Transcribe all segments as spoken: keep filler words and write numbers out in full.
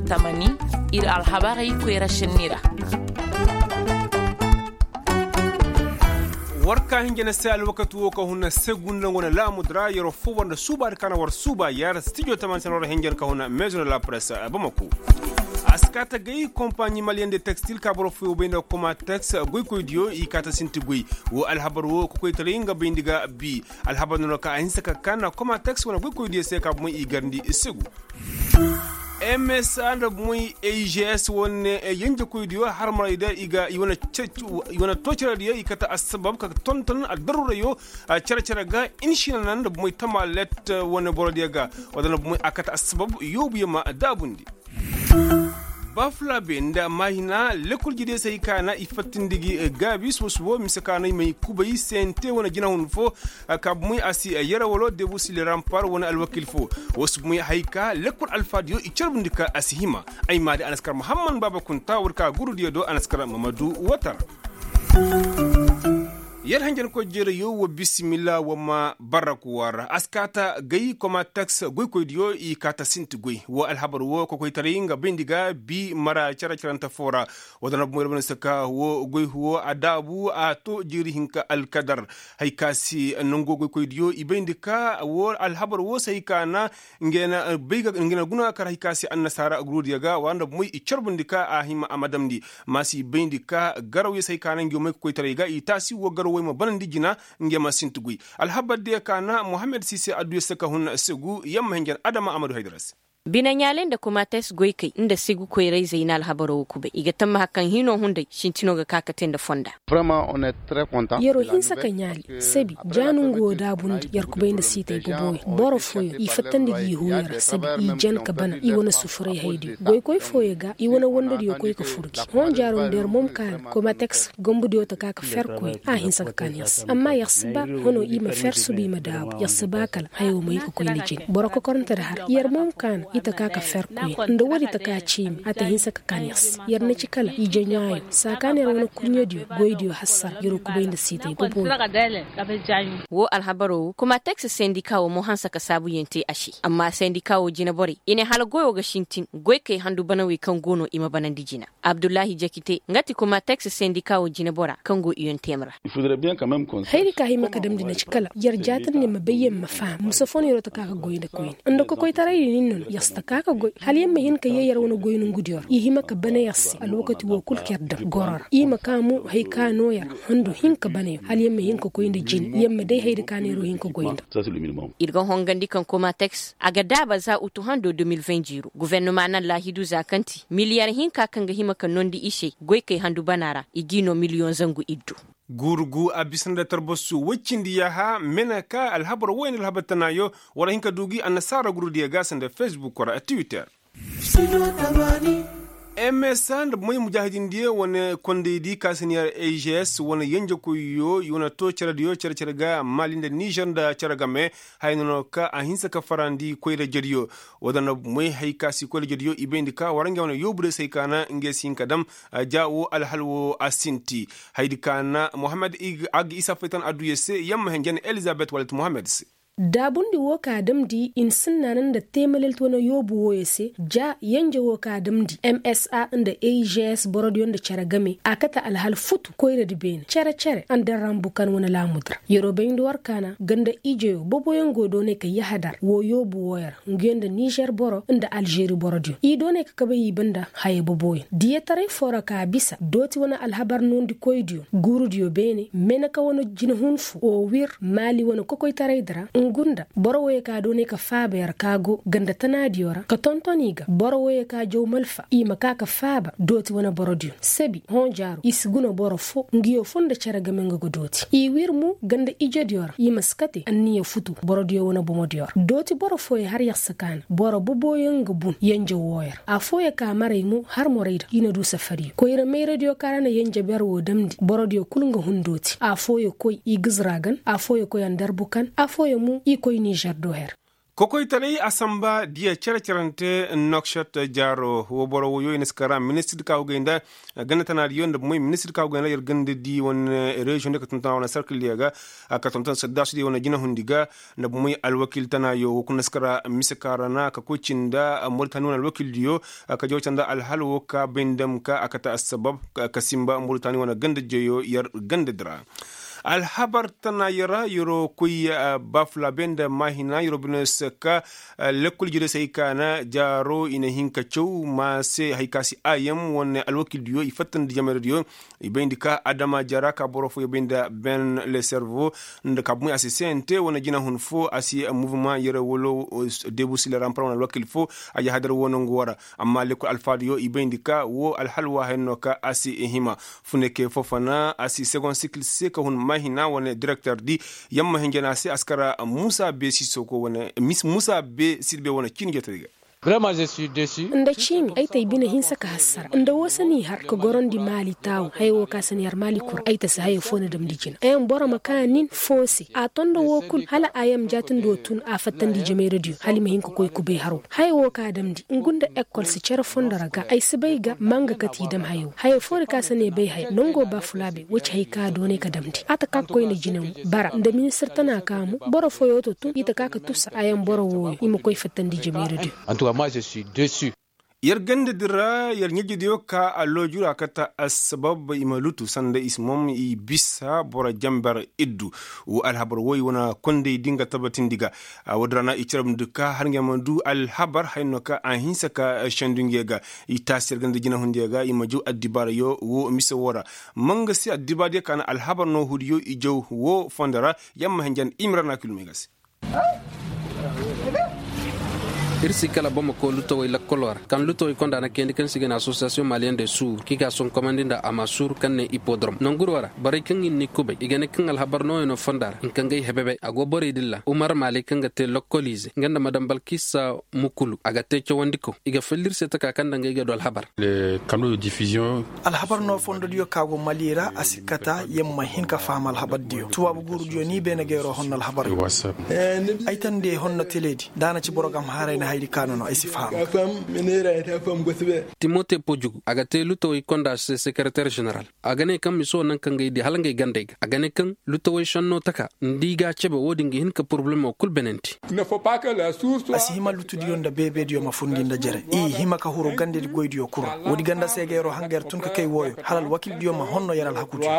Tamani, ir alhabarey koyra šenni ra. War ka hinja na se alwakati wo ka huna segunda nga wane laamudu ra yeroo foo war nda suubaadi ka na war suuba yer stijo tamani se na war hinja ka huna meezo nda la press bamako. A si kaa ta gay kompaɲi maliyen de tekstil ka boro fooyoo bay nda komatex goykoydiyo i kaa ta sinti goy. Woo alhabar woo kokoytaray nga bayndi ga bi. Alhabar noona ka a hinsa ka kaa na komatex wane goykoydiyo se ka bomoy i garndi segu. Msa nda bomoy a g s wane yenjekoydiyo harmarayda i ga i wane too cerediyo i kate assabab ka tonton addarurayo. Cere-cere ga inšina na nda bomoy tamalet wane borodiyo ga. Wala nda bomoy a kate assabab yoobuyo ma daabundi. Bafulabe nda maahina lekol jidiyo se hay ka na i fattindi gi gaabi suba-suba mise ka na i may kubay sente wane jinahun foo. Ka bomoy a si yere walo debu sili rampar wane alwakil foo. Woo si bomoy hay ka lekol alfaadiyo i carbundi ka a si hima. Ay maadi anaskar muhammad baaba kunta war ka gurudiyo do anaskar mamadu watar. Yer hanjankoy jereyo wa bisimilla wa ma barrak war a si kaa ta gay komateks goykoydiyo i kaa ta sinti goy woo alhabar woo kokoytaray nga bayndi ga bi mara care-carante foo ra. Woo da na bomoy ra wane si ka woo goy woo a daabu a too jiiri hinka alkadar. Hay ka si nango goykoydiyo i bayndi ka woo alhabar woo se hay ka na nga na guna kar hay ka se annasaara gurudiyo ga wara nda bomoy i carbundi ka a hima a ma damndi. Ma si bayndi ka garawyo se hay ka na ngiyo may ka koytaray ga i taasi woo garawey ma banandi jina. Ngiyo ma sinti guy alhabar diyo ka na muhammad sise adduyo se ka hun segu yamma hinjan adama amadu haydara se. Bine ɲaaley nda komates goykey nda segu koyrayzey na alhabaroo woo kubay i ga tammaha kaŋ hinoo hunday sintinoo ga ka ka tee nda fonda. Yeroo hinsa ka ɲaali sabi ja no nga woo daabundi yer kubay nda siitay boboyaŋ boro fooyaŋ i fattandi ga i hooyo ra sabi i jan ka bana i wane sufuray haydiyo goykoy fooyaŋ ga i wane wandadiyo koy ka fur gi hõ jaaroo nda yer moom kaana komateks gambudiyo ta ka ka fer koyne a hinsa ka kaan yer se amma yer si ba hono i ma fer suba i ma daabu yer si ba kala hayoo ma i ka koy nda jine boro kokorante nda har yer moom kaana i ta ka ka fer koyne nda woodi ta ka ciimi a ta hinsa ka kaan yer se yer na ci kala ije ɲaayo saa kaan yer wane kurɲediyo goydiyo hassara yeroo kubay nda siitay boboyaŋ. Woo alhabaroo woo komateks sendika woo mo hanse ka saabuyaŋ te a se amma sendika woo jineborey i ne hala goyoo ga sintin goykey handu banawey kaŋ go no i ma banandi jina. Abdullahi jakite nga ti komateks sendika woo jinebora kaŋ go iyon teem ra. Hayri ka hima ka damndi na ci kala yer jaatandi ma bay yer ma faham musa foo no yer woo ta ka ka goy nda koyne nda kokoytaraydi nin no no yer si ta ka ka goy hala yer ma hin ka yee yer wane goy nongudiyo ra i hima ka bana yer se alwakati woo kul ka yer daŋ goro ra i ma ka mo hay ka noo yer handu hin ka bana yer hala yer ma hin ka koy nda jine yer ma day haydi ka no yer woo hin ka goy nda. Ir ga hongandi kaŋ komateks a ga daaba za utu hando deux mille vingt jiiro guvernoma na laahidu za kaŋ ti miliyar hinka kaŋ ga hima ka noondi i se goykey handu bana ra i g'i noo miliyoŋ zangu iddu. Guuru gu a bisa nda tarbasu woy cindi yaaha mena ka alhabar woy nda alhabar tanaayo war a hin ka du gi annasaara gurudiyo ga sanda fesbuk ra twitter. Msa nda bomoy mujaahidindiyo wane kondaydi ka si ne yer ags wane yenjekoyyo i wane too cerediyo cere-cere ga maali nda nizer nda cere game. Haya no no ka a hinsa ka farandi koyra-ijediyo. Woo da na bomoy hay ka si koyra-ijediyo i bayndi ka war ngey wane yoobudiyo se hay ka na ngey si hin ka dam. Ja woo alhal woo a sinti. Hayadi ka na muhammad ag isa faytan adduya se yamma henjen elizabet walet muhammad se. Daabundi woo ka damndi insinna na nda teemalelt wane yoobu wooyo se ja yenje woo ka damndi msa nda ags borodiyo nda cere game a kate alhal futu koyradi beene cere-cere anderan bukan wane laamudi ra yeroo bayndi war kaana ganda ijeyo boboyaŋ go doonay ka yahadar woo yoobu wooyo ra nguyo nda nizer boro nda alžeri borodiyo i doonay ka kabay i banda haya boboyaŋ diyataray foo ra ka bisa dooti wane alhabar noondikoydiyo guurudiyo beene meneka wane jinahun foo woo wir maali wane kokoytaraydi ra ngu nda boro woyey ka doonay ka faaba yer ka go ganda tanaadiyo ra ka tonton i ga boro woyey ka jaw malfa i ma ka ka faaba dooti wane borodiyo sabi hõ jaaro i si guna boro foo nguyo foo nda cere game nga ga dooti i wir mo ganda ijediyo ra i ma si kate anniya futu borodiyo wane bomodiyo ra dooti boro fooyo har yer si kaana boro boboyaŋ ga bun yenje wooyo ra afooyo ka maray mo har morayda i na du safariyo koyra mayradiyo ka ra na yenje ber woo damndi borodiyo kul nga hun dooti afooyo koy i gizra gan afooyo koy anderbu kan afooyo mo i koy nizer do her. Kokoytaray a samba diya cere-cerante nokset jaaro wo boro woyo i na si kara ministir ka go gay nda ganda tanaadiyo nda bomoy ministir ka go gay nda yer ganda di wane reziyoŋ diyo ka tonton a wane sarkil diyo ga, ka tonton saddasu diyo wane jinahundi ga nda bomoy alwakil tanaayo wo kuna si kara mise ka ra na ka koy cinda moritani wane alwakil diyo ka jawca nda alhal wo ka bay nda ma ka a kate assabab ka simba moritani wane ganda jeyo yer ganda di ra. Alhabar tana yara yaro koy bafulabe nda maahina yaro bine se ka lekkol jire se hay ka na jaaro i na hin ka caw ma se hay ka si ayam wane alwakil diyo i fattandi jamay ra diyo. I bayndi ka adama jara ka boro fo i bayndi ben le servo nda ka bumay a si sente wane jinahun fo a si muvuma yare walo debu sile rampar wane alwakil fo a jahadar wo nangu wara. Amma lekkol alfaadiyo i bayndi ka wo alhal waahayan no ka a si hima. Funeke fofona a si segon sikil se ka hun mahina wane direkter di yamma hinjana se a si kara musa be si soko wane musa be sirbe wane cini jotari ga. Nda ciimi ay ta ay bine hinsa ka hassara nda woo se n'i har ka gorandi maali taawu haya woo ka se n'i har maali kura ay ta si haya foo na damndi jina ayam boro ma kaa nin foo se a to nda woo kul hala ayam jaatindoo tun a fattandi jameeradiyo hala i ma hin ka koy kubay haroo haya woo ka damndi ngu nda ekol si cere fondo ra ga ay si bay ga ma nga kate i dam haya woo haya foo di ka se ne bay haya nangoo baafulaabe woy ci hay ka doonay ka damndi a ta ka ka koyne jine mo bara nda ministir tana ka mo boro fooyoo to tun i ta ka ka tusa ayam boro wooyo i ma koy fattandi jameeradiyo. Yer ganda din ra yer ɲajidiyo ka a looju ra kate assabab i ma lutu sanda i si mom i bisa boro jamber iddu. Wo alhabar woy wane konday di nga tabatindi ga woodi ra na i carabndi ka har nga ma du alhabar haya no ka a hinsa ka sendu ngey ga. I taasi yer ganda jinahundiyo ga i ma jaw addibaarayo wo mise woo ra. Ma nga se addibaadiyo ka na alhabar noohudiyo i jaw wo fondo ra. Yamma hinjan i ma ra na kilumey ga se. Ir si kala boro ma koy lutawey lakkoloo ra kaŋ lutawey konda na kayandi kaŋ se i ga ne asosiyasiyoŋ maliyen de suur kaŋ i ga a sonkomandi nda amaasuur kaŋ ne ippodorom nanguroo ra borey kaŋ i na ni kubay i ga ne kaŋ alhabar nooyanoo fonda ra nka ngey hebebey a go borey dilla umar maaley kaŋ ga te lakkoliize nga nda madam balkisa mukulu a ga te cawandiko i ga fell'ir se taka kaŋ nda ngey ga du alhabar. Alhabar noo fondodiyo ka go mali ra a si kata yer ma hin ka faham alhabardiyo tubaabu guurudiyo ni beene ga yeroo honno alhabar. Ay tande honno teleedi da a na ci boro ga ma haray na hayadi ka no no ay si faham. Timote pojugu a ga te lutawey konda se sekereter ženeral a ga ne kaŋ mise wo naŋ kaŋ ga ay di hala ngey gandey ga a ga ne kaŋ lutawey šennoo taka nda i ga a cebe wo-din ga hin ka porobalemo kul benenti. A si hima lutudiyo nda beebeediyo ma fundi nda jere i hima ka huru gandedi goydiyo kul ra woodi ganda se ga yeroo hanga yer tun ka kay wooyo hala alwakildiyo ma honno yer alhakudiyo.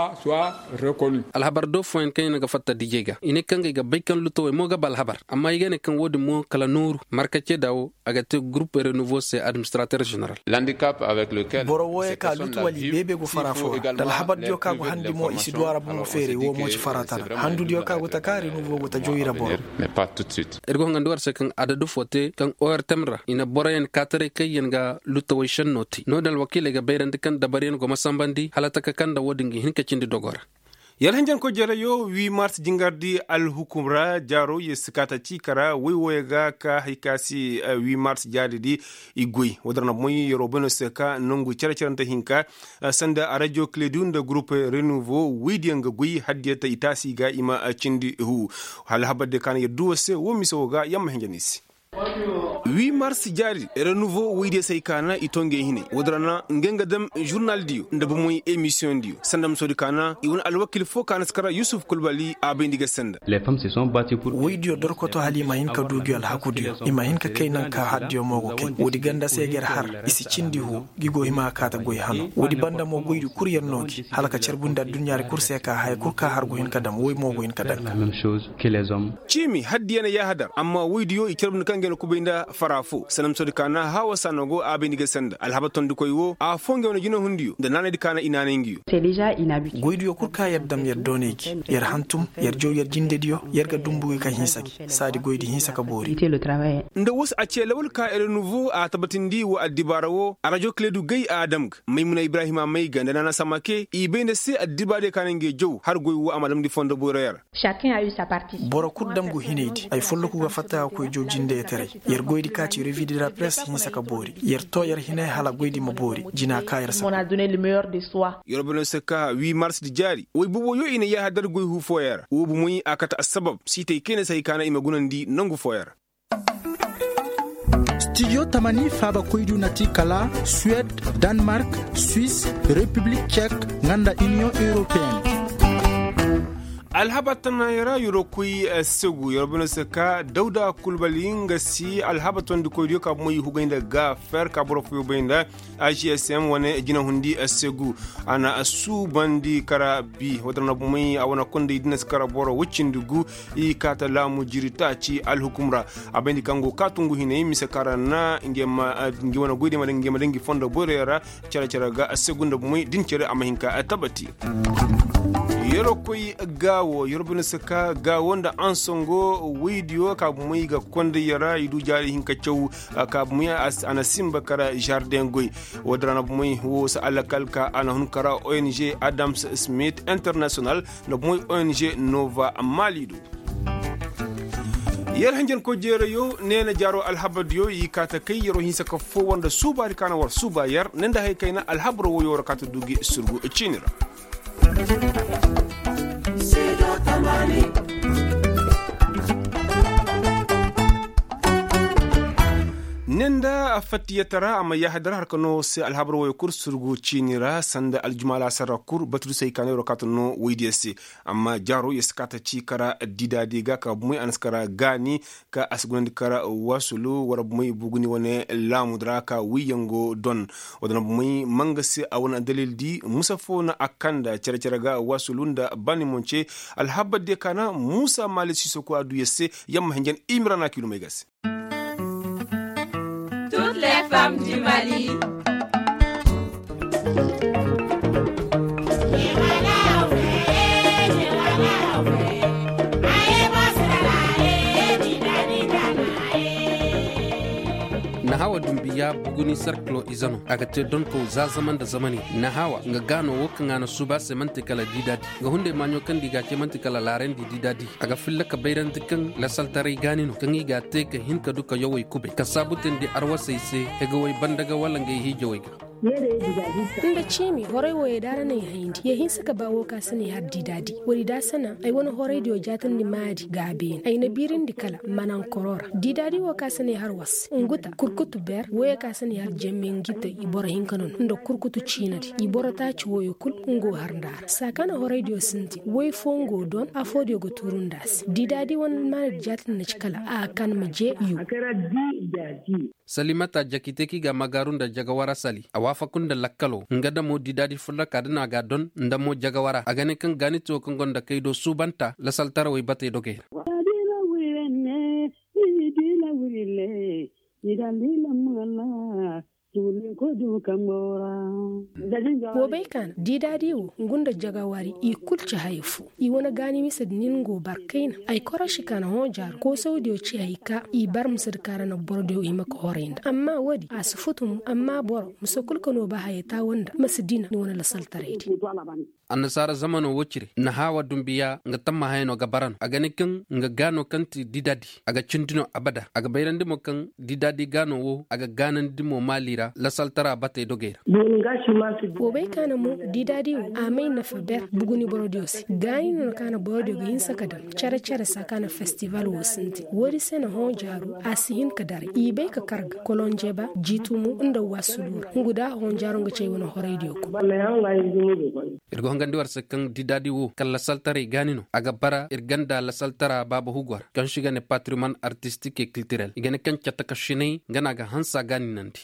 Alhabar do fooyaŋ kaŋ i na ga fatta dijey ga i ne kaŋ ga ay ga bay kaŋ lutawey mo ga ba alhabar amma i ga ne kaŋ wo-din mo kala nooru marka ceeda wo a ga te gurup renuvo se administrater ženeral. Boro wooyo ka lutu wala i beebe go fara foo ra nda alhabardiyo ka go handi mo i si du a ra bomo feeray woo mo ci fara tana handudiyo ka go taka renuvo go ta jaw i ra boro. Ir go hangandi war se kaŋ adadu foo te kaŋ ortem ra i na boroyaŋ kaataray kaŋ yaŋ ga lutawey šennoo te no-din alwakiiley ga bayrandi kaŋ dabaryaŋ go ma sambandi hala taka kaŋ nda wo-din ga hin ka cindi dogoo ra. Yer hinjankoy jereyo wii mars jingardi alhukum ra jaaro yer si kaata ci kara woy wooyo ga ka hay ka se wii mars jaaridi i goy woodin ra na bomoy yeroo bay no se ka nongu cere-cerante hinka sanda arajo kledu nda gurup renuvo woydiyaŋ ga goy haddiya ta i taasi ga i ma cindi huu. Hala habardiyo ka na yer du woo se woo mise woo ga yer ma hinja ni se. Wii mars jaari renuvo woydiyo se hay ka na i to ngey hinay woodin ra na ngey nga dam žurnaldiyo nda bomoy emisiyoŋdiyo sanda ma soodi ka na i wane alwakil foo ka na si kara yusuf kulbali a bayndi ga sanda. Woydiyo dorkoto hala i ma hin ka du gi alhakudiyo i ma hin ka kay naŋ ka hardiyo mo go kay woodi ganda se ga yer har i si cindi huu. Gi go hima ka kaata goy hano woodi banda mo goydi kul yer no gi hala ka carbundi adduɲɲaadi kul se ka haya kul ka har go hin ka dam woy mo go hin ka dam. Ciimi haddiya na yaahadar amma woydiyo i carbundi kaŋ ga na kubay nda fara foo sanamsodi ka na haawa saana go a bay ni ga sanda alhabar tondikoy wo afoo ngey wane jinahundiyo nda naanaydi ka na i naanay ngiyo. Goydiyo kul ka yer dam yer doonay gi yer hantum yer jaw yer jindediyo yer ga dumbu gi ka hinsa gi saadi goydi hinsa ka boori. Nda woo se a cee lawal ka erenuvo a tabatindi wa addibaara wo arajo kaleedu gay a dam ga maymuna ibrahima may ga nda naana samake i bay nda se addibaadiyo ka na ngey jaw har goy wo a ma damndi fondo boyroyaŋ ra. Boro kul dam go hinaydi ay folloku ga fatta ga koy jaw jindeyataray. Yer goydi ka ci revue de la presse hinsa ka boori yer too yer hinay hala goydi ma boori jina ka yer saba. Yer boro se ka huit mars di jaari woy boobo yo i na yaaha dar goy huu fooyaŋ ra woo bomoy a kate assabab siitay kayna se hay ka na i ma gunandi nangu fooyaŋ ra. Studio tamani faabakoydiyo na ti kala suwed, danmark, swis, repiblik cek, nga nda iniyoŋ europeen. Alhabar tanaayoo ra yeroo koy segu yeroo bay no se ka dawda kulbali nga si alhabar tondikoydiyo ka bomo i hugay nda gaafer ka boro fooyoo bay nda. Agsm wane jinahundi segu a na suubandi kara bi wata na bomey a wane konday dinas kara boro woy cindi gu. I kaata laamu jiri taaci alhukum ra. A bayndi kaŋ go kaatu ngu hinay mise kara na nge wane goyde ma daŋ nge fondo borey ra. Cere cere ga segu nda bomey din cere a ma hin ka tabati. Yeroo koy gaawo yeroo bay no se ka gaawo nda ansongo woydiyo ka bomey ga konday ra i du jaari hinka caw. Ka bumey a na simba kara jardeŋ goy. Woo din ra na bumey woo si alakal ka a na hun kara ong adams smith international nda bumey ong nova mali do. Yer hanjankoy jeerayo neena jaaro alhabardiyo i kaa ta kay yeroo hinsa ka foo war nda suubaadi ka na war suuba yer ne nda hay kayna alhabaroo woyoo ra kaa ta du gi surgu ciini ra. Ne nda a fattiyatara a ma yaahadar har ka noo se alhabar woyo kul surgu ciini ra sanda aljumaa laasar ra kul batudusey kaana yeroo kaata noo woydiyo se. Amma jaaro yer si kaata ci kara didaadi ga ka bumey a na si kara gaani ka a si gunandi kara waasulu war bumey buguni wane laamu di ra ka wiiyaŋ go don. Wala na bumey manga se a wane dalil di musa foo na a kanda cere-cere ga waasulu nda baani monce. Alhabar diyo kaana muusa maali siisoko a duu yer se. Yamma hinjan imira na kiilumey ga se. Nahawa dumbiya buguni sarkilo ize no a ga te donkow za zama nda zamani. Nahawa nga gaano wo kaŋ a na suuba se man'ti kala diidaadi. Nga hunday maaɲo kaŋ nda i ga a ce man'ti kala laarandi diidaadi. A ga filla ka bayrandi kaŋ lasaltaray gaani no kaŋ i ga a te ka hin ka du ka yawey kubay ka saabu teendi arwasey se hegawey bandagawey wala ngey hiijawey ga. Nda ciimi horay wooyey da a ra na ay hayndi ya hinsa ka ba woo ka si ne har diidaadi woodi da a si naŋ ay wane horaydiyo jaatandi maadi ga a beene ay na biirindi kala manankoroo ra diidaadi woo ka si ne har was, ngu ta kurkutu ber wooyoo ka si ne har jemme ngi ta i boro hinka no no nda kurkutu ciinadi i boro taaci wooyoo kul, ngu har nda a ra saa ka na horaydiyo sintin woy foo ngu don afoo diyo ga tuuru nda a se diidaadi wane maanadi jaatandi na ci kala a kan ma jee yu. Salimata jakite kaŋ i ga a magaaru nda jagawara sali a waafaku nda lakkaloo nga damo diidaadi fulla ka da no a ga a don nda mo jagawara a ga ne kaŋ gaaniti woo kaŋ gonda kay do suubanta lasaltarawey batey dogey ra. Woo bay ka na diidaadi woo ngu nda jagawari i kul ci haya foo. I wane gaani misedi nin go bar kayna ay koroši ka na hõ jaaru koosawdiyo ci hay ka i bar misedi ka ra na borodiyo hima ka horay nda amma woodi a si futu mo amma boro mise kul ka noo ba haya taawo nda ma si dina ni wane lasaltaraydi. Annasaara zamanoo woo cire nahaawa dumbiya nga tammahayanoo ga bara no a ga ne kaŋ nga gaanoo kaŋ ti didaadi a ga cindi no abada a ga bayrandi mo kaŋ didaadi gaanoo woo a ga gaanandi mo maali ra lasaltara batey dogey ra. Woo bay ka na mo didaadi woo a may nafa ber buguni borodiyo se gaani no na ka na borodiyo ga hinsa ka daŋ care care saa ka na festival woo sintin woodi se na hõ jaaru a si hin ka daray i bay ka kar ga kolonjeba jiitumu nda waasulu ra ngu da hõ jaaru nga cay wane horaydiyo kul. Ir ga hongandi war se kaŋ didaadi woo kala lasaltaray gaani no a ga bara ir ganda lasaltara baaba hugu war kaŋ se i ga ne patriman artistik e kiltirel i ga ne kaŋ cata ka sinay nga no a ga hansa gaaninandi.